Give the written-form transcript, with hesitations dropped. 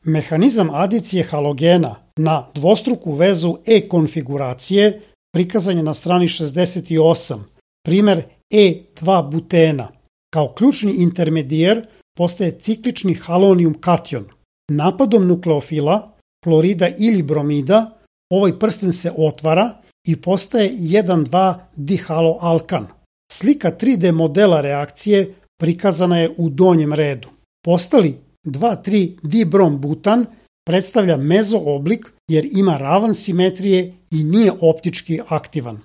Mehanizam adicije halogena na dvostruku vezu E-konfiguracije prikazan je na strani 68, primer E2-butena. Kao ključni intermedijer postaje ciklični halonijum kation. Napadom nukleofila, klorida ili bromida, ovaj prsten se otvara i postaje 1,2-dihaloalkan. Slika 3D modela reakcije prikazana je u donjem redu. Postali 2,3-dibrom-butan predstavlja mezo oblik jer ima ravan simetrije i nije optički aktivan.